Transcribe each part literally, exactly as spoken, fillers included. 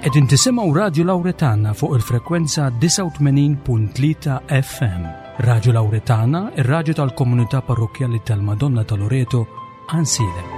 Qegħdin tisimgħu Radju Lawretana fuq il-frekwenza disgħa u tmenin punt tlieta F M. Radju Lawretana, ir-radju tal-komunità parrokkjali tal-Madonna ta' Loreto, Għajnsielem.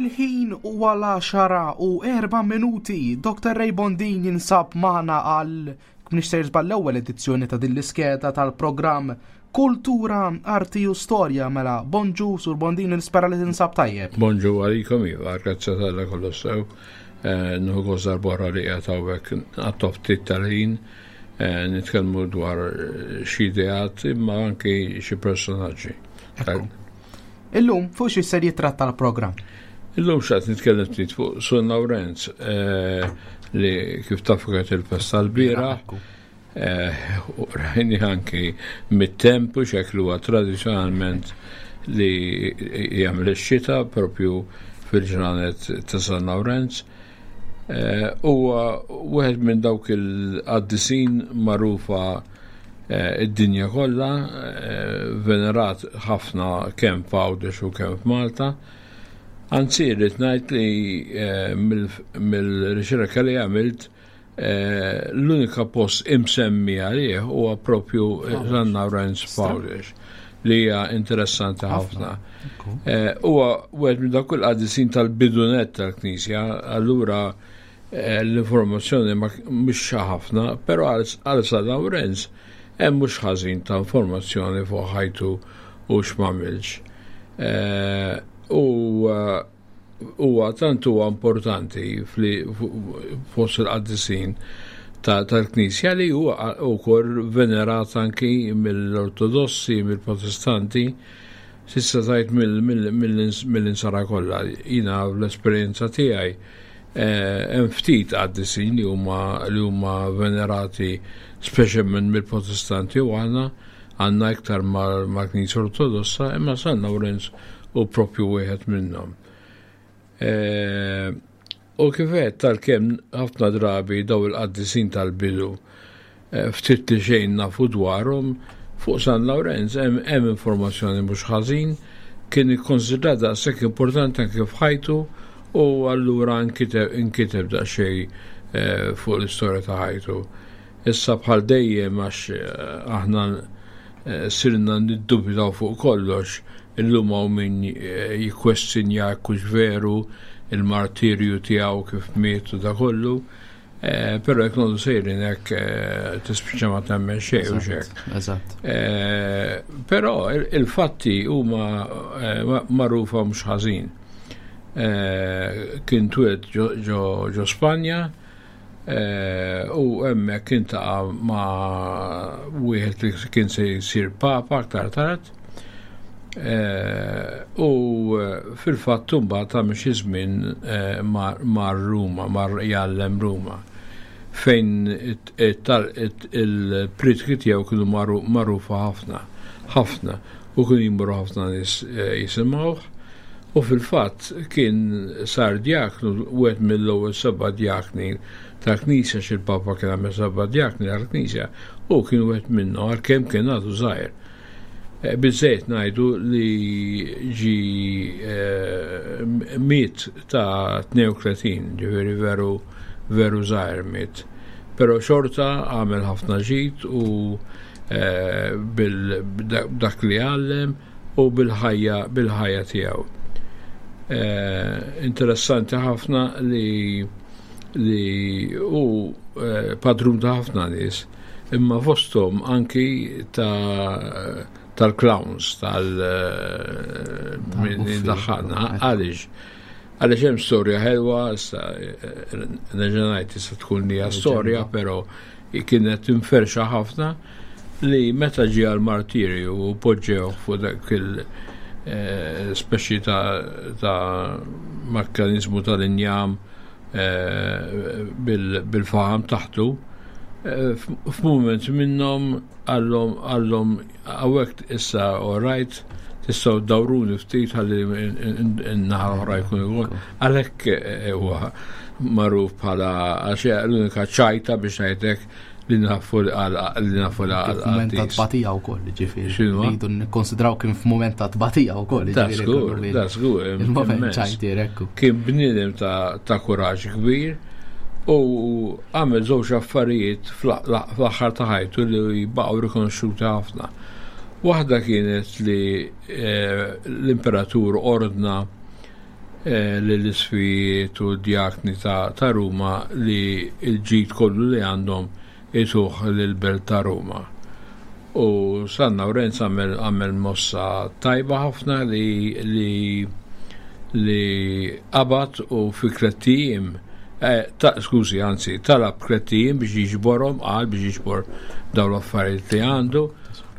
Il-ħin huwa l-għaxara u erba' minuti. Doktor Ray Bondin jinsab magħna għal mhix sejr żball l-ewwel edizzjoni ta' din l-iskeda tal-programm Kultura, Arti u Storja. Mela, bonġu Sur Bondin, nispera li tinsab tajjeb. Bonġu għalikom, iva, grazzi tal-Alla kollu sew. Eh, Nieħu gost darb'oħra li qiegħed hawnhekk għat ftit tal-ħin, eh, nitkellmu dwar xi ideat imma anki xi personaġġi. Ekku. Illum fuq xi ser jitratta l-programm? Illum xaqt nitkellem ftit fuq San Lawrenz, eh, li kif tafu kienet il-festa l-bieraħ, eh, u rajni anki mit-tempu xeklu huwa tradizzjonalment li jagħmel ix-xita propju fil-ġranet ta' San Lawrenz. Eh, huwa wieħed minn dawk il-qaddisin magħrufa, eh, id-dinja kollha, eh, venerat ħafna kemm f'Għawdex u kemm f'Malta. Anzi, rrid ngħid li, eh, mill-, mill-riċerka li għamilt, eh, l-unika post imsemmi għalih huwa propju Għawdex. San Lawrenz f'Għawdex, li hija interessanti ħafna. Ekku. Eh, huwa wieħed minn dawk il-qaddisin tal-bidunet tal-Knisja, allura, eh, l-informazzjoni ma mhux ħafna, però għal, għal San Lawrenz hemm mhux ħażin ta' informazzjoni fuq ħajtu u x'm'għamilx. Eh, u, eh, huwa tant huwa importanti fli-, fu-, fost il-qaddisin ta-, tal-Knisja li huwa wkoll venerat anki mill-Ortodossi, mill-Protestanti, s'issa tajt mill-, mill-, mill-, mill-insara kollha. Jiena l-esperjenza tiegħi, eh, hemm ftit qaddisin li huma, li huma venerati speċjalment mill-Protestanti u aħna għandna iktar mal-, mal-Knisja Ortodossa, imma San Lawrenz u propju wieħed minnhom. Eh, u kif għedt tal-kemm ħafna drabi daw il-qaddisin tal-bidu, eh, ftit li xejn nafu dwarhom, fuq San Lawrenz hemm, hemm informazzjoni mhux ħażin, kien ikkonsidrat daqshekk importanti anke f'ħajtu u allura nkiteb, inkiteb daqsxejn, eh, fuq l-istorja ta' ħajtu. Issa bħal dejjem għax, eh, aħna, eh, sirna niddubitaw fuq kollox, illum hawn min, eh, jikkwestjonja jekk hux veru il-martirju tiegħu kif miet u da kollu, eh, però jekk noqogħdu sejrin hekk, eh, tispiċċa ma temmen xejn u Eżatt, xejn. eżatt. Eh, però il-, il-fatti huma, eh, ma-, magħrufa mhux ħażin. Eh, kien twieled ġo, ġo, ġo Spanja, eh, u hemmhekk kien taqa' ma' wieħed li kien se jsir papa aktar tard. Eh, u fil-fatt imbagħad ta' xi żmien, eh, mar, mar Ruma, mar jgħallem Ruma, fejn it-, it-, it-, il-pritki tiegħu kienu magħru-, magħrufa ħafna, ħafna, u kienu jmorru ħafna nies, eh, jisimgħuh. U fil-fatt kien sar djaknu, wieħed mill-ewwel seba' djakni tal-Knisja, xi l-Papa kien għamel seba' djakni tal-Knisja, u kien wieħed minnhom għalkemm kien għadu żgħir. Eh, biżżejjed ngħidu li ġi, eh, miet ta' tnejn u tletin, ġifieri veru, veru żgħir miet. Però xorta għamel ħafna ġid u, eh, bil-, b'dak li għallem u bil-ħajja, bil-ħajja tiegħu. Eh, interessanti ħafna li li hu eh, padrun ta' ħafna nies, imma fosthom anki ta' tal-clowns, tal eh, min daħħalna, għaliex għaliex hemm storja ħelwa, issa nerġa' ngħid issa tkun hija storja, però kienet inferxa ħafna li meta ġie għal-martirju u poġġew fuq dak il eh, speċi ta', ta mekkanizmu tal-injam eh, bil-faħam taħtu, eh, f'mument minnhom qallhom qallhom hawnhekk issa all right, tistgħu dawruni ftit ħalli n-naħa oħra jkun ikun. Għalhekk huwa magħruf bħala għax l-unika ċajta biex ngħidlek li nafu li nafu għal F'mument ta' tbatija wkoll, ġifieri. Rridu nikkonsidraw kien f'mument ta' tbatija wkoll. Da żgur, da żgur. Il-moment ċajtier ekku. Kien bniedem ta' kuraġġ kbir u għamel żewġ affarijiet fl-aħħar ta' ħajtu li baqgħu rikonoxxuti ħafna. Waħda kienet li eh, l-imperatur ordna eh, l-isqfijiet u d-djakni ta' Ruma li l-ġid kollu li għandhom jtuh l-belt ta' Ruma. U San Lawrenz għamel mossa tajba ħafna li li li qabad u fi tlett ijiem, eh, ta' skużi, anzi, talab tlett ijiem biex jiġborhom, qal biex jiġbor daw l-affarijiet li għandu,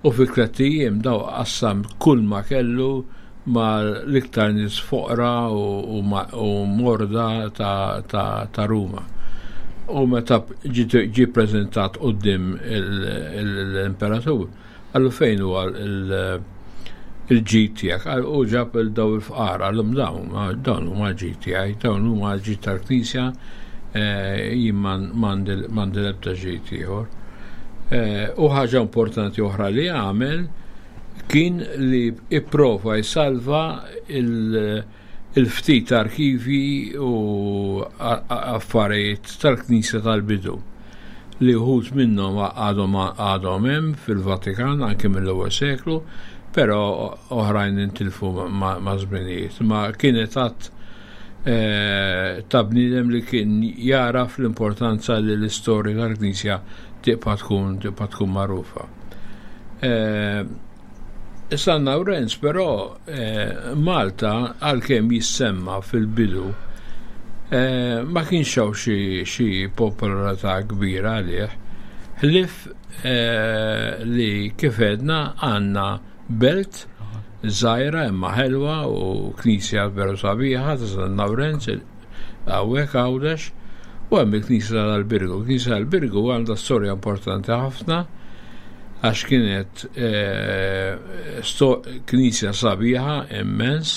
u fi tlett ijiem daw qassam kull ma kellu ma l-iktar nies foqra u, u morda ta', ta, ta' Ruma. U meta ġi prezentat quddiem l-imperatur, qallu fejn huwa il-ġid tiegħek, u ġab il-daw il-fqar, qallhom dawn, dawn huma l-ġid tiegħi, dawn huma l-ġid tal-Knisja, eh, jien m'għandi l-ebda ġid ieħor. Eh, u ħaġa importanti oħra li għamel kien li ipprova jsalva il- il-ftit arkivi u affarijiet tal-Knisja tal-bidu li uħud minnhom għadhom għadhom hemm fil-Vatikan anke mill-ewwel seklu, però oħrajn intilfu ma' żminijiet. Ma kienet għat eh, ta' bniedem li kien jaraf l-importanza li l-istorja tal-Knisja tibqa' tkun tibqa' tkun magħrufa. Eh, San Lawrenz però eh, Malta għalkemm jissemma fil-bidu eh, ma kienx hawn xi popolarità kbira għalih. Ħlief eh, li kif għedna għandna belt żgħira imma ħelwa u knisja veru sabiħa ta' San Lawrenz hawnhekk Għawdex u hemm il-knisja tal-Birgu. Il-knisja tal-Birgu għandha storja importanti ħafna għax kienet eh, knisja sabiħa immens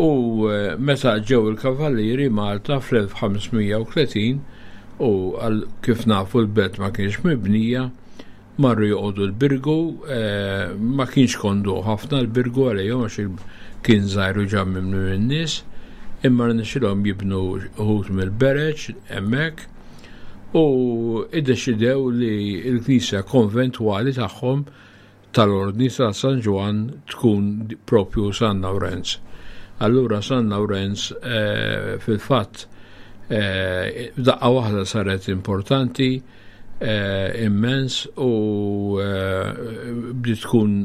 u eh, meta ġew il-kavallieri Malta fl-elf ħames mija u tletin u għal kif nafu l-belt ma kienx mibnija, marru joqogħdu l-Birgu, eh, ma kienx kondu ħafna l-Birgu għalihom għax kien żgħir u ġa mimli min-nies, imma rnexxilhom jibnu uħud mill-bereġ hemmhekk u iddeċidew li l-knisja konventwali tagħhom tal-Ordni ta' San Ġwann tkun propju San Lawrenz. Allura San Lawrenz eh, fil-fatt eh, daqqa waħda saret importanti eh, immens u bdiet tkun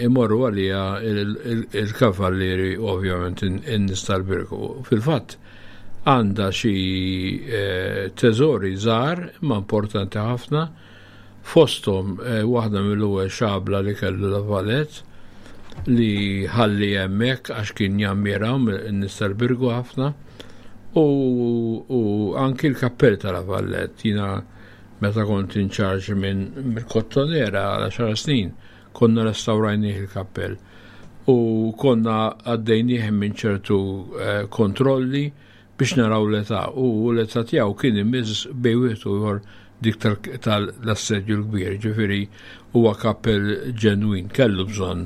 imorru għalija il-kavallieri, ovvjament in-nies tal-Birgu. Fil-fatt għandha xi teżori żgħar imma importanti ħafna, fosthom waħda mill-ewwel xabla li kellu La Valette li ħalli hemmhekk għax kien jammiraw in-nies tal-Birgu ħafna, u, u anki l-kappell ta' La Valette. Jiena meta kont in charge minn mill-Kottonera għal għaxar snin konna restawrajnieh il-kappell u konna għaddejnieh minn ċertu eh, kontrolli biex naraw l-età, u l-età tiegħu kien imiss bejn wieħed u ieħor dik tal-assedju l-kbir, ġifieri huwa kappell ġenwin, kellu bżonn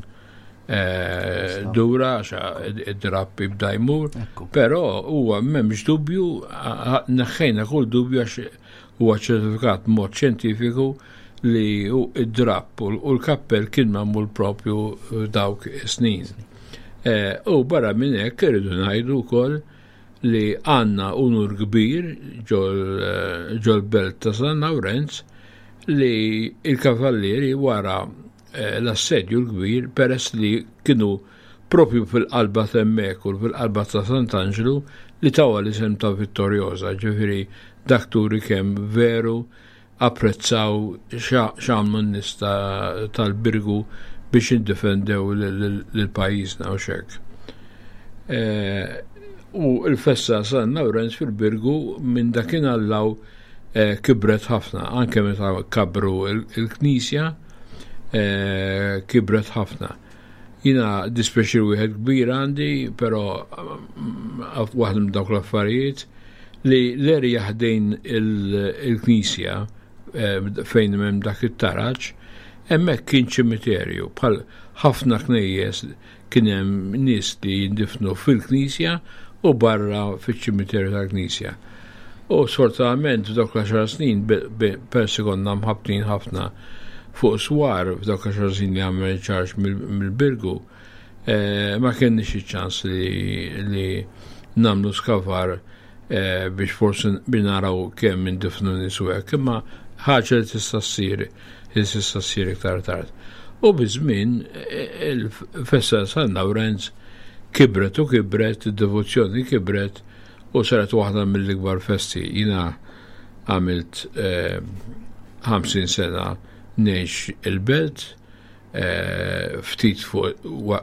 eh, dura għax id-drapp jibda jmur, però huwa m'hemmx dubju, neħħejna kull dubju għax huwa ċertifikat mod xjentifiku li id-drapp u l-kappell kien magħmul propju dawk snin. Eh, u barra minn hekk irridu ngħidu wkoll li għandna unur kbir ġol-belt ta' San Lawrenz li il-kavallieri wara l-assedju l-kbir, peress li kienu propju fil-qalba t'hemmhekk u fil-qalba ta' Sant'Anġlu, li tawha l-isem ta' Vittoriosa, ġifieri dak turi kemm veru apprezzaw x'għamlu n-nies tal-Birgu biex indifendew lil pajjiżna u xek. U l-festa San Lawrenz fil-Birgu minn dakinhar 'l hawn kibret ħafna, anke meta kabru il-knisja kibret ħafna. Jiena dispjaċir wieħed kbir għandi, però waħda minn dawk l-affarijiet li l-erja ħdejn il-knisja fejn hemm dak it-taraġ, hemmhekk kien ċimiterju, bħal ħafna knejjes kien hemm nies li jindifnu fil-knisja u barra fiċ-ċimiterju tal-knisja. U sfortunatament f'dawk l-għaxar snin persi konna mħabtin ħafna fuq swar, f'dawk l-għaxar snin li għamel ċarġ mill-Birgu, ma kenniex iċ-ċans li nagħmlu skavar biex forsi naraw kemm indifnu nies u hekk, imma ħaġa li tista' ssir, li tista' ssir iktar tard. U biż-żmien il-festa San Lawrenz kibret u kibret, id-devozzjoni kibret u saret waħda mill-ikbar festi. Jiena għamilt ħamsin sena ngħix il-belt, ftit fuq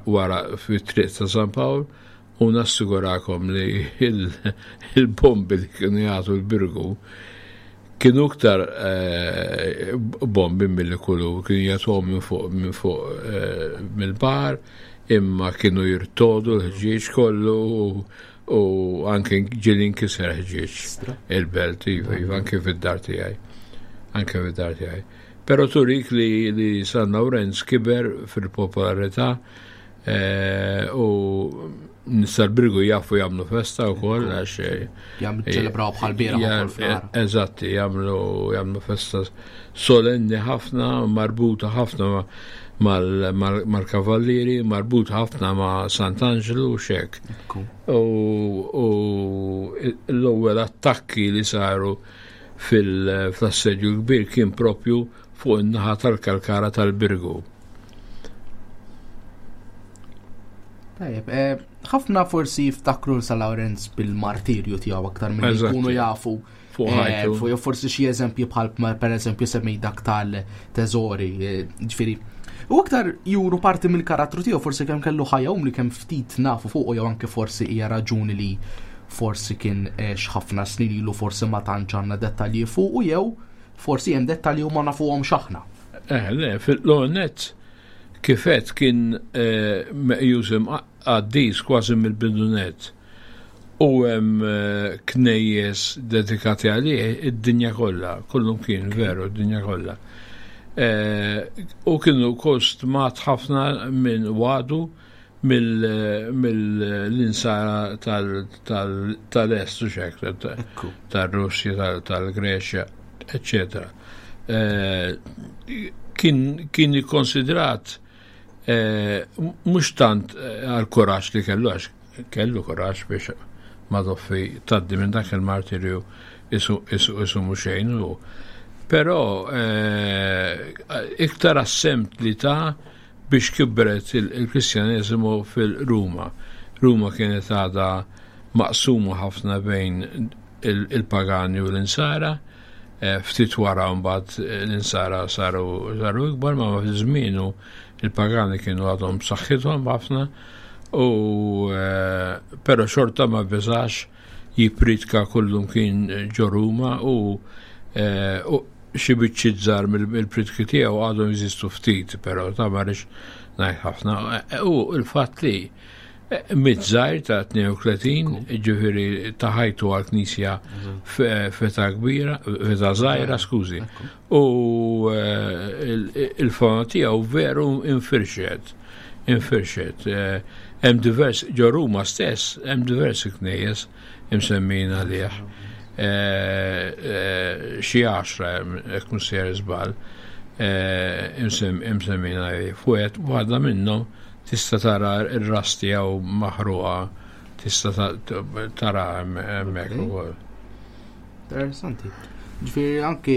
wara fit-triq ta' San Pawl, u nassigurakom li il-bombi li kienu jagħtu l-Birgu kienu iktar bombi milli kullu, kienu jagħtuhom minn fuq minn fuq mill-bar, imma kienu jirtodu l-ħġieġ kollu u anke ġieli nkiser ħġieġ il-belt, iva, iva, anke fid-dar tiegħi. Anke fid-dar tiegħi. Però turik li, li San Lawrenz kiber fil-popolarità u nies tal-Birgu jafu jagħmlu festa wkoll għax Jagħmlu ċelebraw bħal bieraħ ukoll fl-għar. Eżatti, jagħmlu jagħmlu festa solenni ħafna, marbuta ħafna mal-kavallieri, marbuta ħafna ma' Sant'Angelo u xek. U l-ewwel attakki li saru fil-assedju kbir kien propju fuq in-naħa tal-Kalkara tal-Birgu. Tajjeb, ħafna forsi jiftakru San Lawrenz bil-martirju tiegħu aktar minn jkunu jafu fuq ħajtu. Fuq forsi xi eżempji bħal per eżempju semmej dak tal-teżori, ġifieri. U aktar juru parti mill-karattru tiegħu, forsi kemm kellu ħajja umli, kemm ftit nafu fuq, jew anke forsi hija raġuni li forsi kien ħafna snin ilu forsi ma tantx għandna dettalji fuq, jew forsi hemm dettalji u ma nafuhom x'aħna. Eh, le, fil-lonet kifet kien meqjus qaddis kważi mill-bidunet. U hemm knejjes dedikati għalih id-dinja kollha, kullum kien veru id-dinja kollha. U kienu kostmat ħafna minn wadu mill-insara tal-est u xek, tal-Russja, tal-Greċja, eccetera. Kien ikkonsidrat mhux tant għal kuraġġ li kellu, għax kellu kuraġġ biex madoffi taddi minn dak il-martirju isu isu mhux xejn, però iktar assemt li ta' biex kibret il-Kristjaneżmu fil-Ruma. Ruma kienet għadha maqsuma ħafna bejn il-pagani u l-insara, ftit wara mbagħad l-insara saru saru ikbar, ma fi żmienu il-pagani kienu għadhom b'saħħithom ħafna, u però xorta ma beżax jippritka kullum kien ġo Ruma, u xi biċċiet żgħar mill-pritki tiegħu għadhom jeżistu ftit, però ta' ma rridx ngħid ħafna. U l-fatt li miet żgħir ta' tnejn u tletin, ġifieri ta' ħajtu għall-Knisja f'età kbira, f'età żgħira, skużi. U il-fama tiegħu veru infirxet, infirxet. Hemm divers, ġo Ruma stess, hemm diversi knejjes imsemmin għalih. Xi għaxra, jekk mhux sejjer żball, imsemmin għalih. Fuqet waħda minnhom tista' tara r-ras tiegħu maħruqa Tista' tara hemmhekk ukoll. Interessanti. Ġifieri anki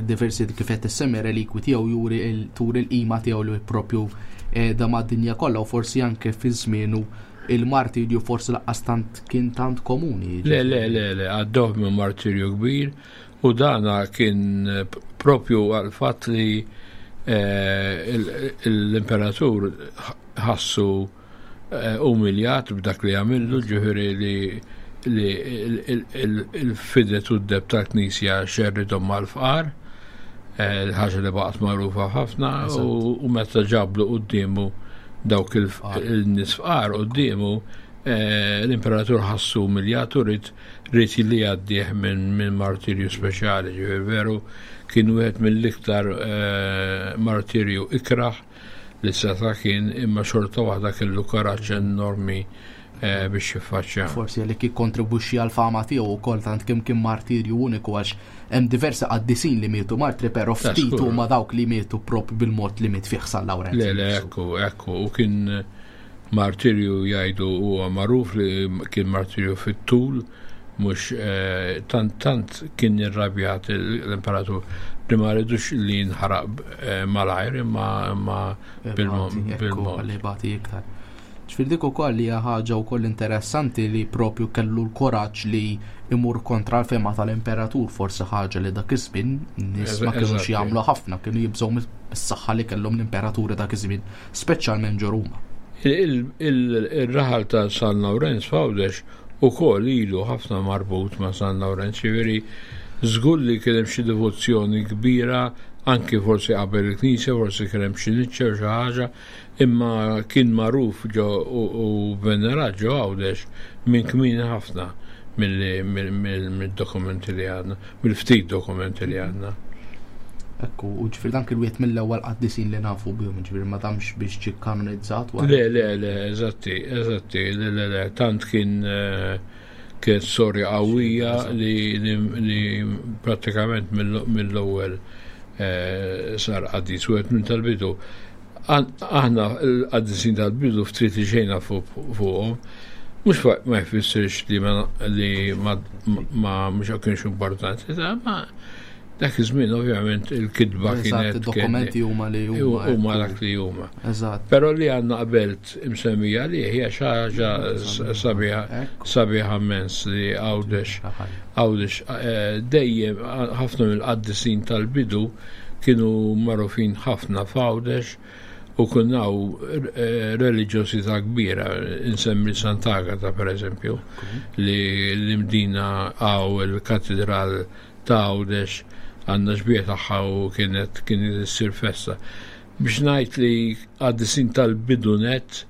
diversi kif qed issemmi relikwi tiegħu juri turi l-qima tiegħu li propju eh, da mad-dinja kollha u forsi anke fi żmienu il-martirju forsi lanqas tant kien tant komuni. Le, le, le, le, għaddew minn martirju kbir u dana kien propju għal-fatt li eh, l-imperatur ħassu eh, umiljat b'dak li għamillu, ġifieri li li il-fidet u d-deheb tal-knisja xerridhom mal-fqar, eh, ħaġa li baqgħet magħrufa ħafna u meta ġablu quddiemu dawk il-nies fqar quddiemu, eh, l-imperatur ħassu umiljat u ried ried li jgħaddih minn martirju speċjali, ġifieri veru kien wieħed mill-iktar eh, martirju ikraħ li seta kien, imma xorta waħda kellu karaġġ enormi eh, biex jiffaċċja. Forsi li kontribwixxi għal fama tiegħu wkoll tant kemm kien martirju uniku, għax hemm diversi qaddisin li mietu martri, però ftit huma dawk li mietu propju bil-mod li miet fih San Lawrenz. Le, le, ekku, ekku, u kien martirju, jgħidu, huwa magħruf li kien martirju fit-tul, mhux eh, tant tant kien irrabjat l-imperatur li ma ridux li jinħaraq eh, malajr imma imma bil-mod. Li bati iktar. Ġifieri dik ukoll hija ħaġa wkoll interessanti li propju kellu l-koraġġ li imur kontra l-fema tal-imperatur, forsi ħaġa li dak iż-żmien nies ma kinux jagħmlu ħafna, kienu jibżgħu mis-saħħa li kellhom l-imperaturi dak iż-żmien, speċjalment ġo Ruma. Il-raħal ta' San Lawrenz f'Għawdex ukoll ilu ħafna marbut ma' San Lawrenz, ġifieri żgur li kien hemm xi devozzjoni kbira anki forsi qabel il-knisja, forsi kien hemm xi niċċa u xi ħaġa, imma kien magħruf ġo u venerat ġo Għawdex minn kmieni ħafna mill-dokumenti li għandna, mill-ftit dokumenti li għandna. Ekku, u ġifieri dan kien wieħed mill-ewwel qaddisin li nafu bihom, ġifieri ma damx biex ġie kanonizzat wara. Le, le, le, eżatti, eżatti, le, le, le, tant kien eh, kien storja qawwija li, li, li pratikament mill-ewwel eh, sar qaddis, wieħed minn tal-bidu. Aħna l-qaddisin tal-bidu ftit li xejn fuqhom, mhux ma jfissirx li ma li ma ma mhux kienx importanti, ma dak iż-żmien ovvjament il-kitba kienet id-dokumenti huma li huma huma dak li huma. Eżatt. Però li għandna qabelt imsemmija li hija xi ħaġa sabiħa sabiħa immens li Għawdex Għawdex eh, dejjem ħafna mill-qaddisin tal-bidu kienu magħrufin ħafna f'Għawdex u kien hawn eh, reliġjosità kbira, insemmi Sant'Agata per eżempju, li l-Imdina hawn il-katedral ta' Għawdex għandna xbieha tagħha u kienet kien issir festa. Biex ngħid li qaddisin tal-bidu net,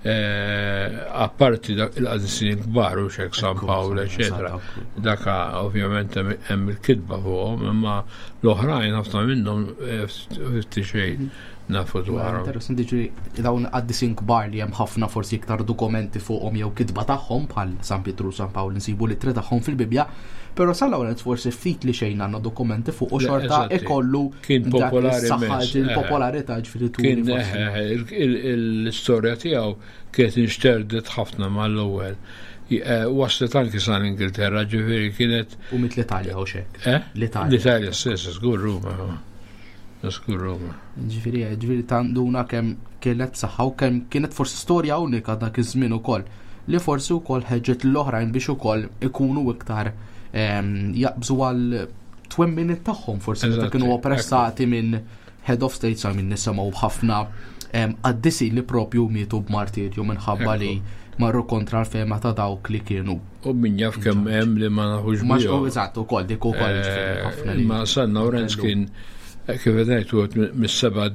eh, apparti il-qaddisin kbar u xek San Pawl, eccetera. Daka ovvjament hemm il-kitba fuqhom, imma l-oħrajn ħafna minnhom eh, ftit xejn nafu dwarhom. Interessanti, ġifieri dawn qaddisin kbar li hemm ħafna forsi iktar dokumenti fuqhom jew kitba tagħhom bħal San Pietru, San Pawl, nsibu l tagħhom fil-Bibja, però San Lawrenz forsi ftit li xejn għandna dokumenti fuq u xorta ikollu kien popolari. Il-popolarità ġifieri. Kien l-istorja tiegħu kienet inxterdet ħafna mal-ewwel. Eh, waslet anki san Ingilterra, ġifieri kienet. U mit l-Italja u xek. Eh? L-Italja. L-Italja stessa, żgur Ruma. Żgur Ruma. Ġifieri, ġifieri tanduna kemm kienet saħħa u kemm kienet forsi storja unika dak iż-żmien ukoll li forsi wkoll ħeġġet l-oħrajn biex ukoll ikunu iktar jaqbżu għal twemmin tagħhom forsi meta kienu oppressati minn head of states, għal minn nisimgħu ħafna qaddisin li propju mietu b'martirju minħabba li marru kontra l-fema ta' dawk li kienu. U min jaf kemm hemm li ma nafux. Ma eżatt, ukoll dik ukoll. Eh, ma San Lawrenz kien, kif ngħid, mis-seba'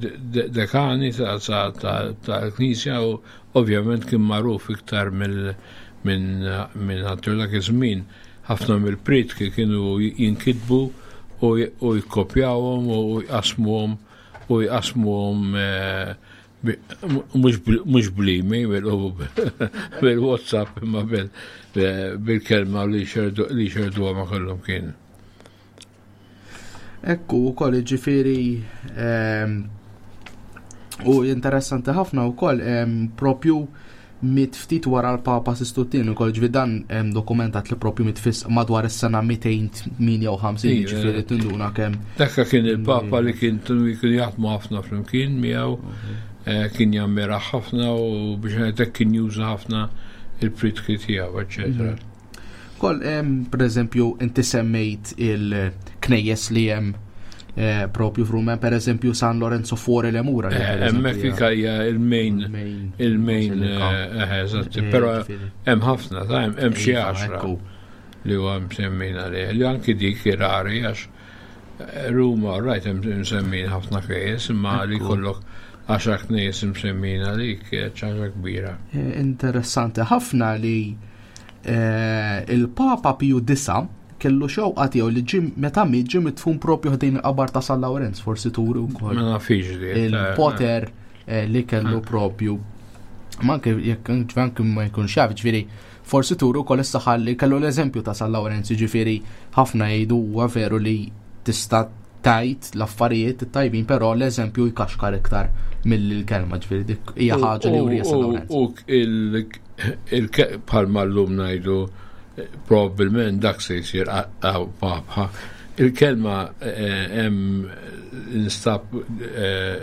dekani tal-Knisja u ovvjament kien magħruf iktar minn minn għattur dak iż-żmien. Ħafna mill-pritki kienu jinkitbu u jkopjawhom u jqasmuhom u jqasmuhom eh, mhux bl-email u bil-WhatsApp imma bil-kelma li xerduha ma kollhom kien. Ekku, u koll ġifieri ehm, u interessanti ħafna u koll ehm, propju Miet ftit wara l-Papa Sistu t-tieni ukoll, ġifieri dan hemm dokumentat li propju miet fis madwar is-sena mitejn u tmienja u ħamsin, Iva. ġifieri tinduna kemm. Dakka kien il-Papa li kien kien jaħdmu ħafna flimkien miegħu, eh, kien jammira ħafna u biex ngħidlek kien juża ħafna il-pritki tiegħu, eċetera. Kol, em, per eżempju, inti semmejt il-knejjes li hemm eh, propju f'Ruma, per eżempju San Lorenzo fuori le mura, li per Eh, eżempju Hemmhekk hija hija il-main il-main il-main basilika. eh, eh, eżatt, Eh, però ġifieri. hemm ħafna, ta' hemm hemm xi Iva, għaxra ekku. li huwa msemmin għalih. Li anki dik rari għax eh, Ruma, right, hemm msemmin ħafna knejjes, imma li Ekku. kollok għaxar knejjes msemmin għalik, eh, ħaġa kbira. Eh, Interessanti ħafna li eh, il-Papa Piju Disa kellu xewqa tiegħu li ġim meta miet ġie midfun propju ħdejn il-qabar ta' San Lawrenz, forsi turi wkoll Ma nafix di. il-poter eh, li kellu propju. Ma anke jekk anke ma jkunx jaf, ġifieri forsi turu wkoll is-saħħa li kellu l-eżempju ta' San Lawrenz, ġifieri ħafna jgħidu huwa veru li tista' tajt l-affarijiet tajbin, però l-eżempju jkaxkar iktar mill-kelma, ġifieri dik hija ħaġa li urija San Lawrenz. U il- il bħalma llum ngħidu eh, probabbilment dak se jsir għaw papa. Il-kelma eh, hemm instab eh,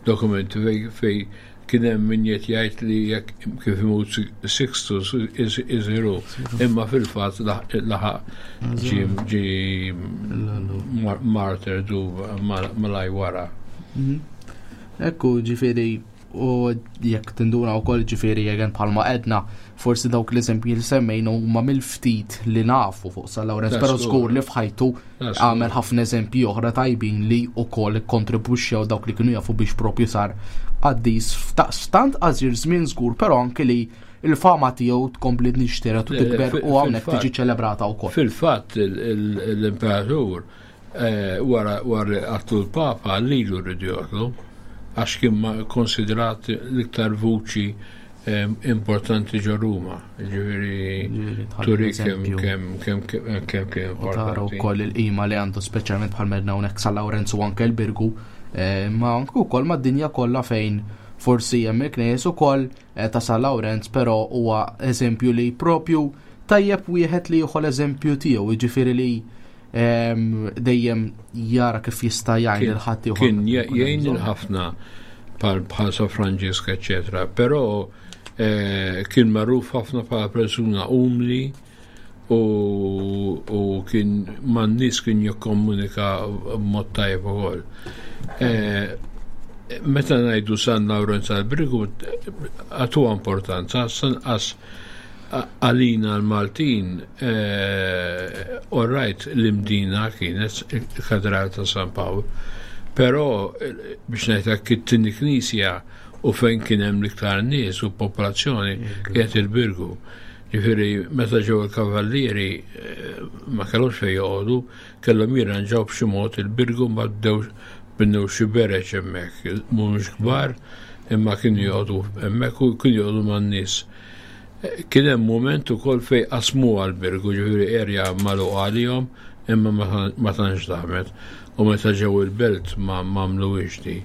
dokumenti fej fej kien hemm min qed jgħid li jekk kif imut Sixtus isiru, imma fil-fatt laħaq ġie ġie martyr du malaj wara. Mhm. Ekku, ġifieri, u jekk tinduna wkoll, ġifieri jegen bħalma edna, forsi dawk l-eżempji li semmejna huma mill-ftit li nafu fuq San Lawrenz, però żgur li f'ħajtu għamel ħafna eżempji oħra tajbin li wkoll kontribwixxew dawk li kienu jafu biex propju sar qaddis f'tant qasir żmien żgur, però anke li il-fama tiegħu tkompli nixteret u tikber u hawnhekk tiġi ċelebrata wkoll. Fil-fatt l-imperatur eh, wara wara qatlu l-Papa lilu rridu joqtlu għax kien konsiderat l-iktar vuċi eh, importanti ġo Ruma. Ġifieri turi kemm kemm kemm kemm kemm U tara wkoll il-qima li għandu, speċjalment bħal medna hawnhekk San Lawrenz u anke l-Birgu, eh, ma anke wkoll mad-dinja kollha fejn forsi hemm il-knejjes ukoll eh, ta' San Lawrenz, però huwa eżempju li propju tajjeb wieħed li jieħu l-eżempju tiegħu, jiġifieri li em, dejjem jara kif jista' jgħin lil ħadd ieħor. Kien jgħin il-ħafna bħal bħal Sa Franġisk, eccetera, però eh, kien magħruf ħafna bħala persuna umli u, u kien man-nies kien jikkomunika b'mod tajjeb ukoll. Eh, meta ngħidu San Lawrenz għal-Birgu għatu importanza, sanqas għalina l-Maltin, eh, all right, l-Imdina kienet il-Katedral ta' San Pawl, però eh, biex ngħidlek it-tieni knisja u fejn kien hemm l-iktar nies u popolazzjoni kienet il-Birgu. Ġifieri meta ġew il-kavallieri eh, ma kellhomx fejn joqogħdu, kellhom jirranġaw b'xi mod il-Birgu, ma bdew binnew xi bereġ hemmhekk, mhumiex kbar, imma kienu joqogħdu hemmhekk u kienu joqogħdu man-nies. Kien hemm mument ukoll fejn qasmu għal-Birgu, ġifieri erja magħluqa għalihom, imma ma tantx damet. U meta ġew il-belt ma m'għamluhiex di.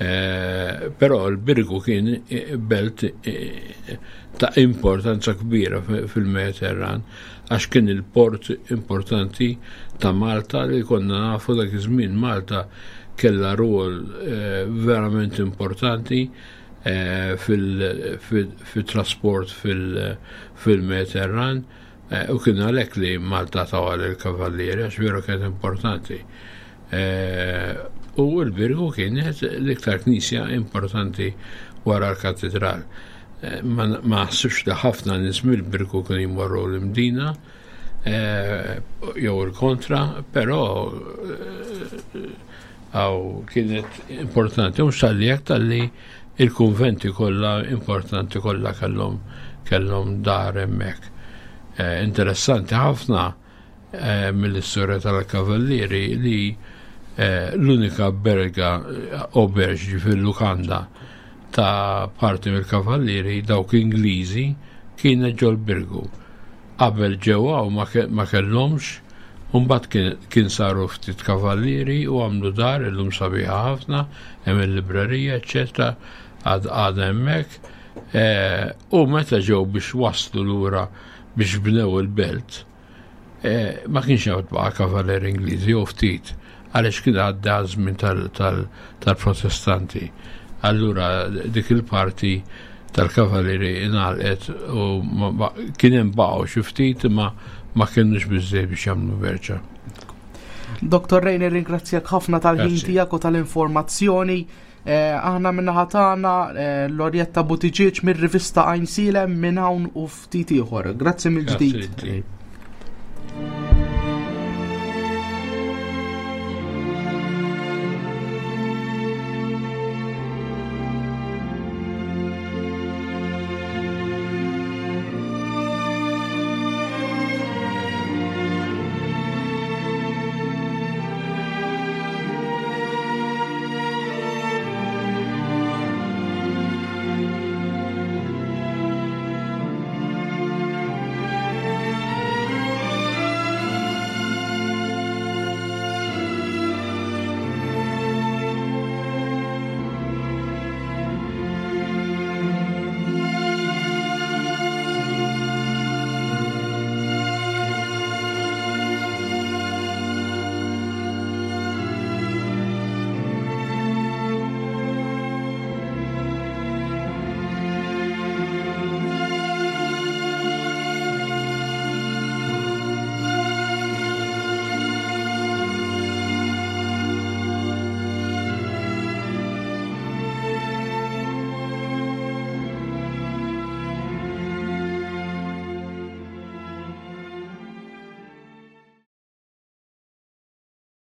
Eh, Però l-Birgu kien eh, belt eh, ta' importanza kbira fil-Mediterran għax kien il-port importanti ta' Malta li konna nafu dak iż-żmien Malta kella rwol verament importanti fil-trasport fil-Mediterran u kien għalhekk li Malta tawha il-kavallieri għax veru kienet importanti. U l-Birgu kienet l-iktar knisja importanti wara l-katedral. Ma naħsibx li ħafna nies mill-Birgu kienu jmorru l-Imdina jew il-kontra, però għaw kienet importanti, mhux talli jekk talli il-konventi kollha importanti kollha kellhom kellhom dar hemmhekk. Interessanti ħafna mill-istorja tal-kavallieri li l-unika berga auberge fil-lukanda ta' parti mill-kavallieri dawk Ingliżi kienet ġol Birgu. Qabel ġewwa u ma kellhomx, mbagħad kien saru ftit kavallieri u għamlu dar illum sabiħa ħafna, hemm il-librerija, eċetera, għad għadha hemmhekk. Eh, u meta ġew biex waslu lura biex bnew il-belt, eh, ma kienx hawn baqa' kavaleri Ingliżi jew ftit għaliex kien għadda żmien tal-Protestanti. Allura dik il-parti tal-kavaleri ingħalqet u kien hemm baqgħu xi ftit imma ma kienux biżżejjed biex jagħmlu berċa. Dottor Ray, nirringrazzjak ħafna tal-ħin tiegħek u tal-informazzjoni. Eh, aħna min-naħa tagħna eh, Lorjetta Buttigieg mir-rivista Għajnsielem minn hawn u ftit ieħor. Grazzi mill-ġdid.